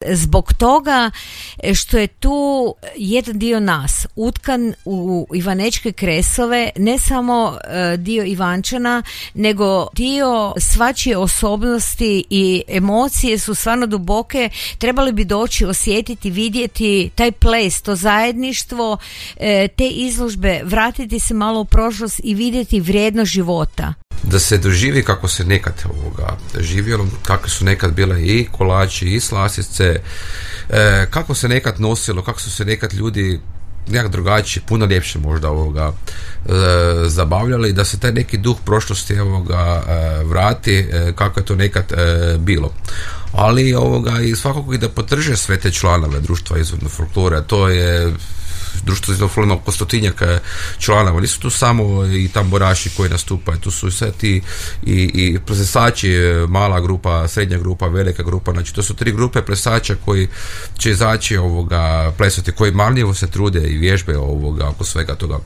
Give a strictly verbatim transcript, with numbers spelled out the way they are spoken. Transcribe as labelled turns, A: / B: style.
A: Zbog toga što je tu jedan dio nas utkan u ivanečke kresove, ne samo dio Ivančana, nego dio svačije osobnosti i emocije su stvarno duboke. Trebali bi doći, osjetiti, vidjeti taj ples, to zajedništvo, te izložbe, vratiti se malo u prošlost i vidjeti vrijednost života.
B: Da se doživi kako se nekad ovoga živjelo, kako su nekad bile i kolači i slasice, e, kako se nekad nosilo, kako su se nekad ljudi nekak drugačije, puno ljepše možda ovoga e, zabavljali, da se taj neki duh prošlosti ovoga e, vrati e, kako je to nekad e, bilo. Ali ovoga i svakako i da podrže sve te članove društva izvorne folklore. To je društvo izvorne folklore oko stotinjak članova. Nisu tu samo i tamburaši koji nastupaju, tu su sve ti i, i plesači, mala grupa, srednja grupa, velika grupa. Znači to su tri grupe plesača koji će izaći ovoga plesati, koji marljivo se trude i vježbe ovoga oko svega toga.